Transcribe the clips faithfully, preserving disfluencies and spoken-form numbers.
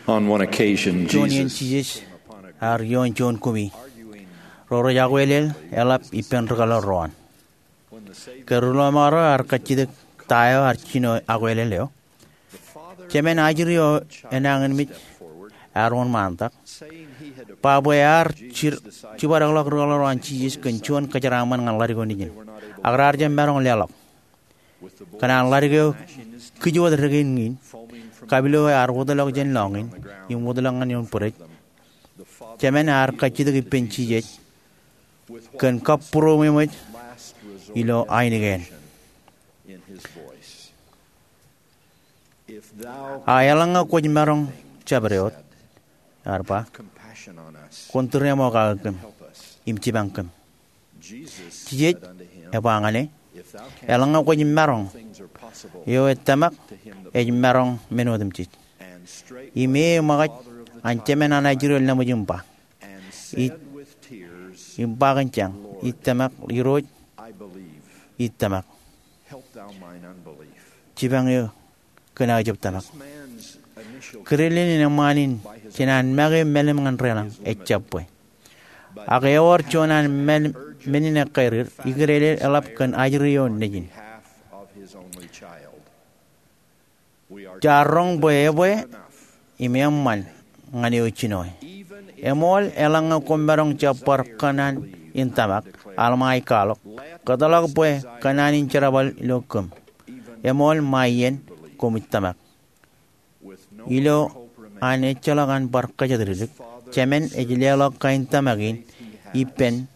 On one occasion, juon iien Jesus Jisōs ear ioon juon kumi ro rej akwelel eḷap ippān ri kōḷar ro an. Ke ri ḷōṃaro ear kajjitōk ta eo ear jino akwelel eo, jemān ajri eo enañinmej ear wōnṃaantak ba bwe ear jibadekḷọk ri kōḷar ro an Jisōs kōn juon kōjeraaṃṃan ñan ḷadik eo nejin, ak raar jab maroñ leḷọk. Kōn an ḷadik eo kij wōt dekān in, kapilo ear wōtlọk jān lọñiin im wōtlọk ñan ioon bwidej, jemān ear kajjitōk ippān Jisōs kōn kabbūroṃōj ilo ainikien. A eḷaññe kwōj maroñ jabdewōt, ear ba, kwōn tūriaṃo kake kōm im jipañ kōm. Jisōs ebla ñan e, eḷaññe kwōj maroñ, eo ej tōmak ej maroñ men otemjej. Im e eṃōkaj an jemān an ajri eo laṃōj im ba, im ba kōn jañ, ij tōmak, Irooj, ij tōmak. Jipañ eō kōn aō jab tōmak. Kidilin eṃṃaan in jān an make mālim ñan deḷọñ ejjab bwe. Ak ewōr juon an men in ekkā dik, ikidilel eḷap kōn ajri eo nejin. Jaar roñ bwe ebwe im eṃṃan ñan eo jinoe. Eṃool eḷaññe koṃ maroñ jab bar kōṇaan in tōmak, alṃae ej kwaḷọk, kōtḷọk bwe kōṇaan in jerbal ilo kōm. Eṃool ṃae iien koṃij tōmak. Ilo an ejjeḷọk an bar kōjatdikdik, jemān ej leḷọk kain tōmak in ippān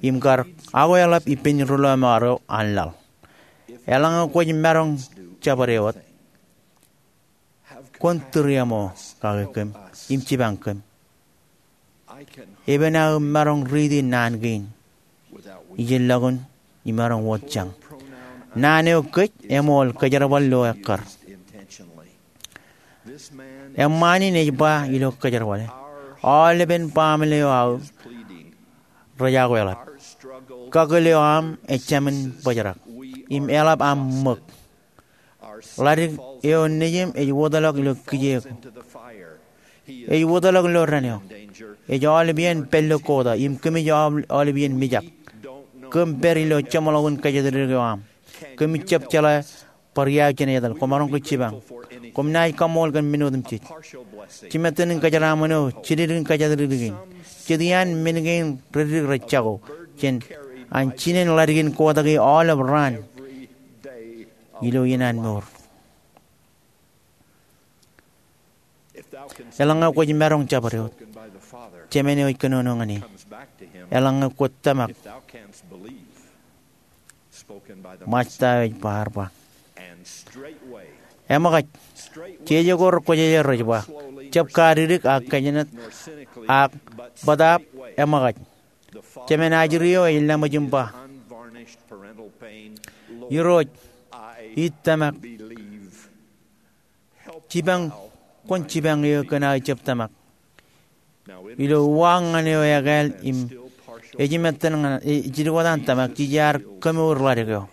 im kar akweḷap ippān ri ḷōṃaro an laḷ. Eḷaññe kwōj maroñ jabdewōt, kwōn tūriaṃo kake kōm im jipañ kōm. Epen aō maroñ riiti naan kein ijellọkun imaroñ wōt jañ. Naan eo kōj eṃool kōjerbal ilo ekkar. Eṃṃaan in ej ba ilo kōjerbale, aolepen baaṃle eo aō rej akweḷap. Kakōl eo aṃ ejāmin bōjrak im eḷap aṃ ṃōk. Ḷadik eo nejiṃ ej wōtlọk ilo kijeek. Ej wōtlọk ilo dān eo. Ej aolep iien pād ilo kōta im kōmij aolep iien mijak. Kōm pād ilo jeṃḷọkin kōjatdikdik eo aṃ. Kōmij jab jeḷā bar iaak jān etal. Koṃaroñ ke jipañ. Koṃ naaj kaṃṃool kōn men otemjej. Jimettan in kōjeraaṃṃan eo, jidikdik in kōjatdikdik in. Jet iaan men kein rej dik rej jako jān an jinen ḷadik in kōta ke aolep raan ilo iien an mour. Eḷaññe kwōj maroñ jabdewōt, jemān eo ej kōnono ñan e. Eḷaññe kwōj tōmak, Ṃajeḷ eo ej ba, ear ba. Eṃōkaj, jeje ko rekwōjarjar rej ba, jab kadikdik ak kōjnat ak bōtaab eṃōkaj. Jemān ajri eo ej laṃōj im ba, Irooj, ij tōmak. Jipañ, kwōn jipañ eō kōn aō jab tōmak. Ilo uwaak ñan eo ekāāl im ejimettan ñan, e, ej jidikwataan tōmak, jej iar kōmour ḷadik eo.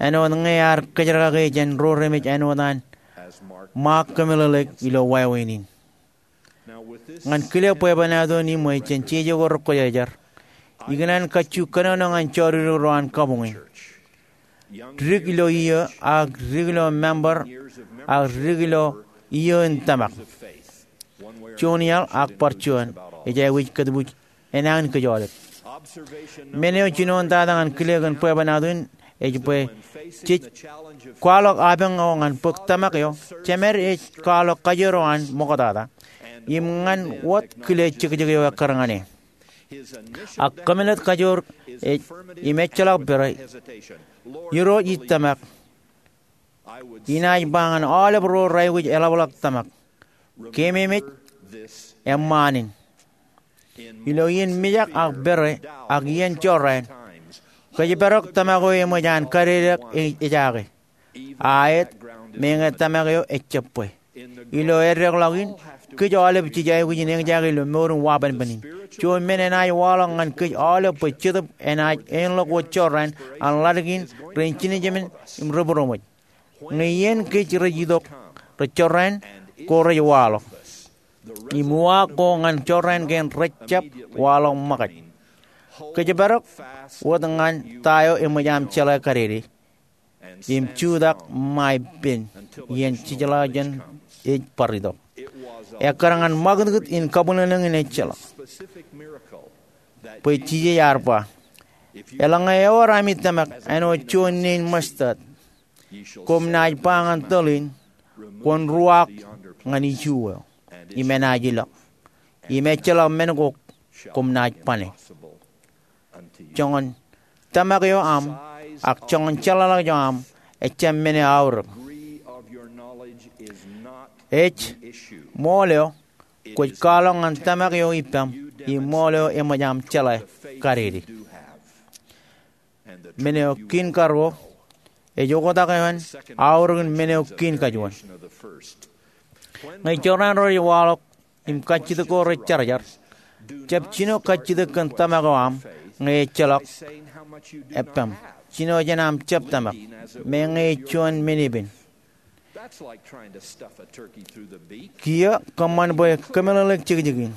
Āinwōt ñe ear kōjerkake jān ro remej āinwōt an Ṃaak kōmeḷeḷeik ilo wāween in. Ñan kile bwebwenato in iṃwe jān jeje ko rekwōjarjar, ikōṇaan kajju kōnono ñan jodikdik ro an kabuñ in. Dik ilo iiō, ak dik ilo member, ak dik ilo iiō in tōmak. Juon iaḷ ak bar juon, ej aikuj kōtbuuj enañin kōj aolep. Men eo jinoin tata ñan kile kōn bwebwenato in ej bwe jej kwaḷọk apañ eo ñan bōk tōmak eo, jemed ej kwaḷọk kajoor eo an ṃoktata im ñan wōt kile jekjek eo ekkar ñan e. Ak kōmālōt kajoor ej im ejjeḷọk pere, Irooj, ij tōmak. Inaaj ba ñan aolep ro raikuj eḷapḷọk tōmak, keememej eṃṃaan in. Ilo iien mijak ak pere ak iien jorrāān, kōjparok tōmak eo eṃōj an kadedeak e-, ejaake. A āet, meñe tōmak eo ejjab bwe. Ilo eddekḷọk in, kōj aolep jej aikuj in eñjake ilo mour in wabanban in. Juon men enaaj waḷọk ñan kōj aolep bwe Jetōb enaaj āinḷọk wōt jorrāān an ḷadik in ren jinōjemān im rebūroṃōj. Ñe iien kōj rej itok rej jorrāān, ko rej waḷọk. Im uwaak ko ñan jorrāān kein rejjab waḷọk ṃōkaj. Kōjparok wōt ñan ta eo eṃōj aṃ jeḷā kadede im jutak ṃae pen iien jijeḷā jān ej bar itok. Ekkar ñan ṃakūtkūt in kabwilōñlōñ in ejjeḷọk. Bwe Jisōs ear ba, eḷaññe ewōr ami tōmak āinwōt juon nein mustard, koṃ naaj ba ñan tōl in, kwōn ruwaak ñan iju eo, im enaaj ilọk. Im ejjeḷọk men ko koṃ naaj bane. Joñan tōmak eo aṃ ak joñan jeḷāḷọkjeṇ eo aṃ ejjab men eo aorōk. Ej ṃool eo kwōj kwaḷọk ñan tōmak eo ippaṃ im ṃool eo eṃōj aṃ jeḷā kadede. Men eo kein karuo ej oktak eo an aorōkin men eo kein kajuon. Ñe jorrāān ro rej waḷọk im kajjitōk ko rej jarjar, jab jino kajjitōk kōn tōmak eo aṃ ñe ejjeḷọk ippaṃ. Jino jān aṃ jab tōmak, meñe ej juon men epen. Kiiō kōṃṃan bwe kōmeḷeḷeik jekjekin.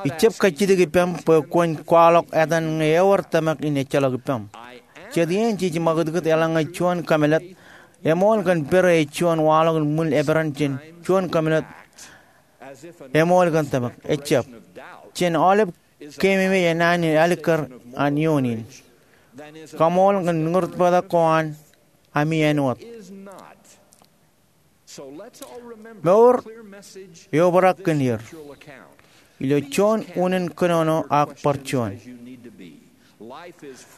Ij jab kajjitōk ippaṃ bwe kwōn kwaḷọk etan ñe ewōr tōmak in ejjeḷọk ippaṃ. Jet iien jej ṃakūtkūt eḷaññe juon kōmeḷeḷe eṃool kōn pere ej juon waḷọk in ṃwil eperan jān juon kōmeḷeḷe eṃool kōn tōmak. Ejjab. Jān aolep keememej enaan in alikkar an eoon in, kaṃool kōn ñurūtbata ko an ami āinwōt. Mour eobrak kōn er ilo juon unin kōnono ak bar juon.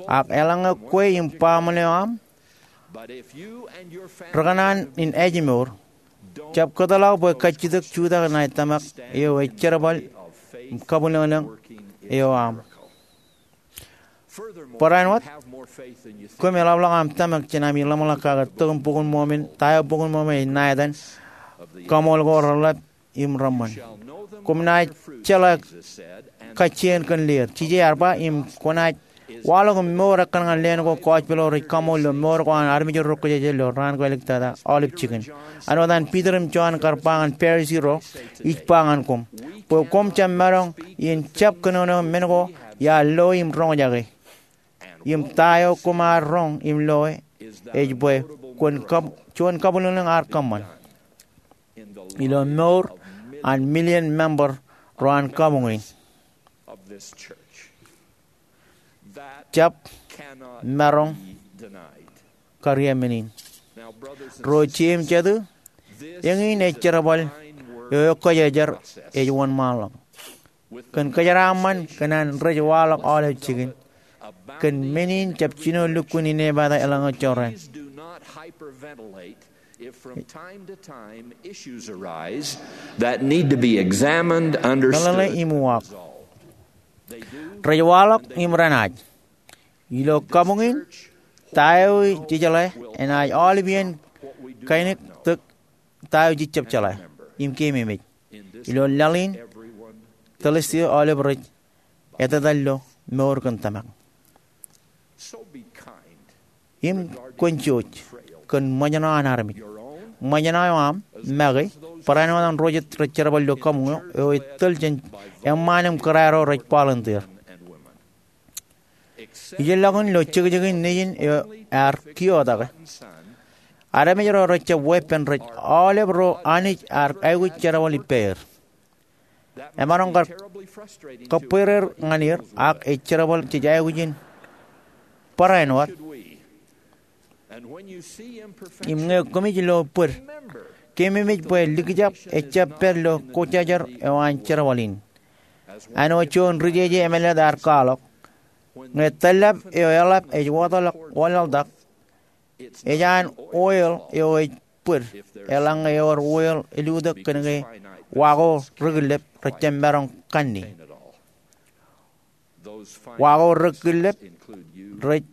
Ak eḷaññe kwe im baaṃle eo aṃ rekōṇaan in ājmour, jab kōtḷọk bwe kajjitōk jutak ñan tōmak eo ej jerbal im kabwilōñlōñ eo aṃ. Barāinwōt, koṃ eḷapḷọk aṃ tōmak jān ami ḷōmṇak kake tok in Bok in Mormon, ta eo Bok in Mormon ej ṇa etan, kaṃool ko reḷap im reṃṃan. Koṃ naaj jeḷā kajjien kōn leer, Jisōs ear ba, im kwōnaaj waḷọk im mour ekkar ñan leen ko gospel eo rej kaṃool ilo mour ko an armej ro rōkjāje ilo raan ko āliktata aolep jikin. Āinwōt an Piter im Jon kar ba ñan Parisi ro, ij ba ñan koṃ bwe koṃ jab maroñ in jab kōnono men ko iar loe im roñjake. Im ta eo koṃ ar roñ im loe ej bwe kwōn kab-, juon kabwilōñlōñ ar kōṃṃan ilo mour an million member ro an kabuñ in. Jab maroñ kariō men in. Ro jeiū im jatū, eñin ej jerbal eo ekkōjājar ej wōnṃaanḷọk. Kōn kōjeraaṃṃan kōn an rej waḷọk aolep jikin, kōn men in jab jino lukkuun inepata eḷaññe jorrāān. If from time to time issues arise that need to be examined, understood, meḷeḷe im uwaak. Rej waḷọk im renaaj. Ilo kabuñ in, ta eo ej jeḷā enaaj aolep iien kainiktok ta eo jej jab jeḷā im keememej. Ilo laḷ in, tōlstie aolep rej etetal ilo mour kōn tōmak. Im kwōn jouj kōn ṃōjṇọ an armej. Ṃōjṇọ eo aṃ, make, barāinwōt an ro jet rej jerbal ilo kabuñ eo, eo ej tōl jān eṃṃaan im kōrā ro rej volunteer. Ijellọkin ilo jekjekin Nejin eo ear kiootake, armej ro rejjab weeppān rej aolep ro Anij ear aikuj jerbal ippāer. Emaroñ kar kōbwereer ñan er, ak ej jerbal jej aikuj in barāinwōt. Im ñe koṃij lo bōd, keememej bwe likjab ejjab pād ilo kojjājar eo an jerbal in. Āinwōt juon ri-jeje emālōtlōt ear kwaḷọk, ñe tōllap eo eḷap ej wōtlọk wōnlaḷtak, ej an oil eo ej bōd eḷaññe ewōr oil elutōk kōnke wa ko rekillep rejjab maroñ kanne. Wa ko rekillep rej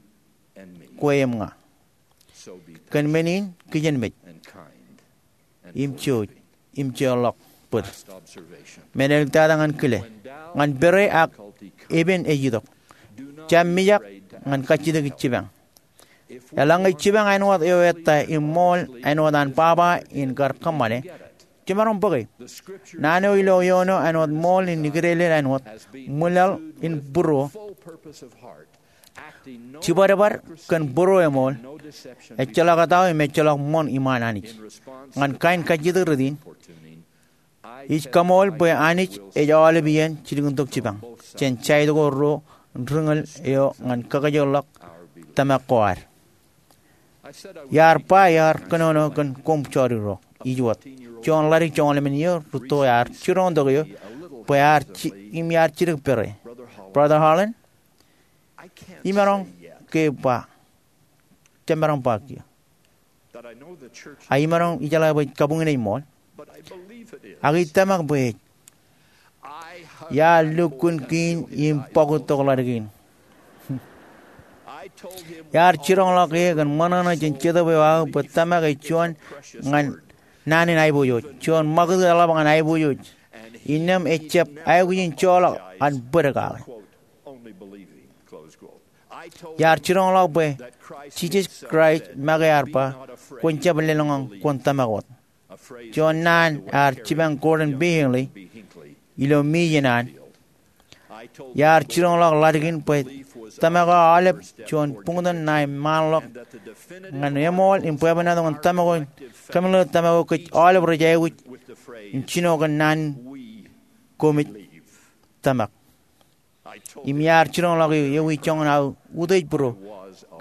kwe im ña. Kōn men in kijenmej im jouj im jeorḷọk bōd. Men āliktata ñan kile, ñan pere ak epen ej itok, jab mijak ñan kajjitōk jipañ. Eḷaññe jipañ āinwōt eo ettā im ṃool āinwōt an baba in kar kōṃṃane, jemaroñ bōke. Naan eo ilo eoon eo āinwōt ṃool in ikdeeḷe āinwōt ṃwilaḷ in būruō, jibadbad kōn būruō eṃool, ejjeḷọk etao im ejjeḷọk ṃoṇ iṃaan Anij. Ñan kain kajjitōk rot in, ij kaṃool bwe Anij ej aolep iien jidik in tok jipañ jān jaid ko ruo ri-ñūḷ eo ñan kakajoorḷọk tōmak ko ad. Iar ba iar kōnono kōn koṃ jodikdọk. Ij wōt juon ḷadik joñoul emān iiō rūtto ear jiroñtok eō bwe ear ji-, im iar jidik pere. Brother Holland, imaroñ ke ba, jemaroñ ba kiiō. A imaroñ ijeḷā bwe kabuñ in ej ṃool. Ak ij tōmak bwe ej. Iar lukkuun kein im bōk tok ḷadik in. Iar jiroñḷọk e kōn ṃōṇōṇō jān Jetōb eo aō bwe tōmak ej juon ñan naan in aiboojoj, juon ṃakūtkūt eḷap ñan aiboojoj. Innām ejjab aikuj in joḷọk an bōd kake. Iar jiroñḷọk bwe Jisōs Kraist make ear ba, kwōn jab lōḷñọñ, kwōn tōmak wōt. Juon naan ear jipañ Gordon B. Hinckley ilo Mijen an. Iar jiroñḷọk ḷadik in bwe tōmak eo aolep juon buñtōn ṇae ṃaanḷọk ñan eṃool im bwebwenato ñan tōmak eo, kōmālōt tōmak eo kōj aolep rej aikuj in jino kōn naan in, koṃij tōmak. Im iar jiroñḷọk eō ewi joñan aō utiej būruō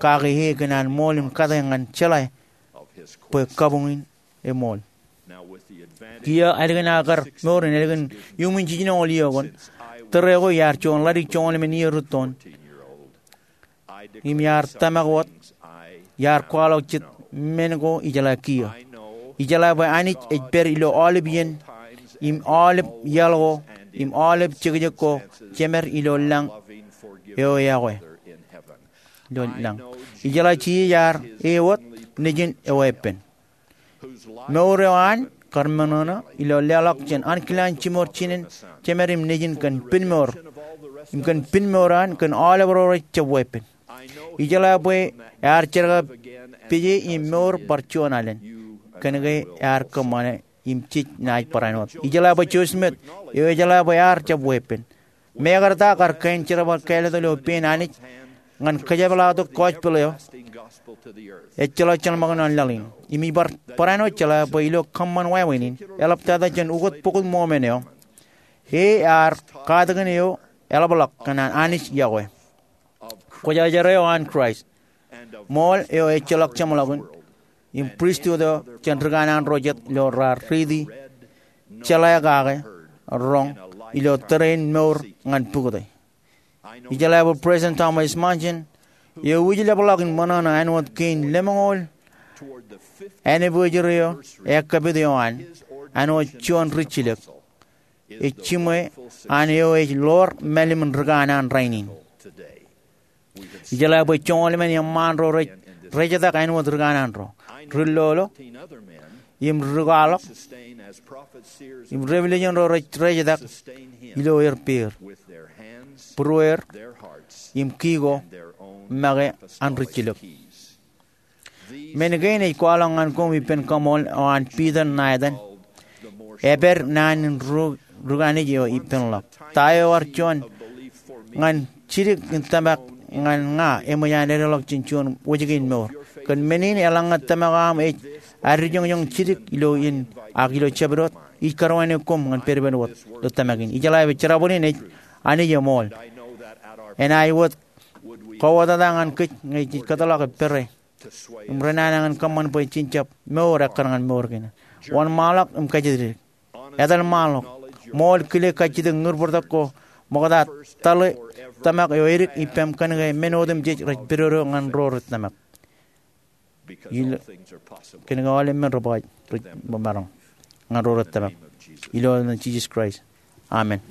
kake e kōn an ṃool im kate ñan jeḷā bwe kabuñ in eṃool. Kiiō ālikin aō kar mour in ālikin iuṃwin jiljinoñoul iiō koṇ, tōre ko iar juon ḷadik joñoul emān iiō rūtto in. Im iar tōmak wōt, iar kwaḷọk jet men ko ijeḷā kiiō. Ijeḷā bwe Anij ej pād ilo aolep iien, im aolep iaḷ ko, im aolep jekjek ko, jemed ilo lañ eo eokwe. Ilo lañ. Ijeḷā Jisōs ear e wōt nejin eweeppān. Mour eo an kar ṃōṇōṇō ilo leḷọk jān ankilaan jimour jinen jemed im nejin kōn pinmour, im kōn pinmour an kōn aolep ro rej jab weeppān. Ijeḷā bwe ear jerkakpeje im mour bar juon alen, kōnke ear kōṃṃane im jej naaj barāinwōt. Ijeḷā bwe Joseph Smith eo ejeḷā bwe ear jab weeppān. Mekarta kar kain jerbal kāālōt ilo pein Anij ñan kōjepḷaaktok gospel eo ejjeḷọk jeḷmākūṇ an laḷ in. Im ij bar barāinwōt jeḷā bwe ilo kōṃṃan wāween in, eḷaptata jān ukōt bok in Mormon eo, e ear katakin eo eḷapḷọk kōn an Anij yokwe. Kwōjarjar eo an Kraist. Ṃool eo ejjeḷọk jeṃḷọkin. Im pristut eo jān ri kanaan ro jet ilo raar riiti jeḷā kake roñ ilo tōre in mour ñan pukot e. Ijeḷā bwe President Thomas Monson eo ij leḷọk in ṃōṇōṇō āinwōt kein lemñoul anniversary eo ekkapit eo an, āinwōt juon rijjilōk, ej jiṃwe an eo ej ḷoor mālim in ri kanaan rainin. Ijeḷā bwe joñoul emān eṃṃaan ro rej rejetak āinwōt ri kanaan ro, ri lolo, im ri kwaḷọk, im revelation ro rej rejetak ilo er peer, būrueer, im ki ko make an rijjilōk. Men kein ej kwaḷọk ñan koṃ ippān kaṃool eo an Peter Nathan, epād naan in ri-, ri kanaan eo ippānḷọk. Ta eo ear juon ñan jidik in tōmak ñan ña eṃōj an edeḷọk jān juon wōjke in mour. Kōn men in eḷaññe tōmak eo aṃ ej addijoñjoñ jidik ilo in ak ilo jabdewōt, ij karuwainwōt koṃ ñan pedped wōt ilo tōmak in. Ijeḷā bwe jerbal in ej Anij eṃool. Enaaj wōt kōwōtata ñan kōj ñe jej kōtḷọk pere im renana ñan kōṃṃan bwe jen jab mour ekkar ñan mour kein. Wōnṃaanḷọk im kajjitōk. Etal ṃaanḷọk. Ṃool kile kajjitōk ñūr bōrtok ko ṃokta tōḷe tōmak eo edik ippaṃ kōnke men otemjej rej pedodo ñan ro rej tōmak. Ilo, kōnke aolep men rej ba rej maroñ ñan ro rej tōmak. Ilo etan Jisōs Kraist. Amen.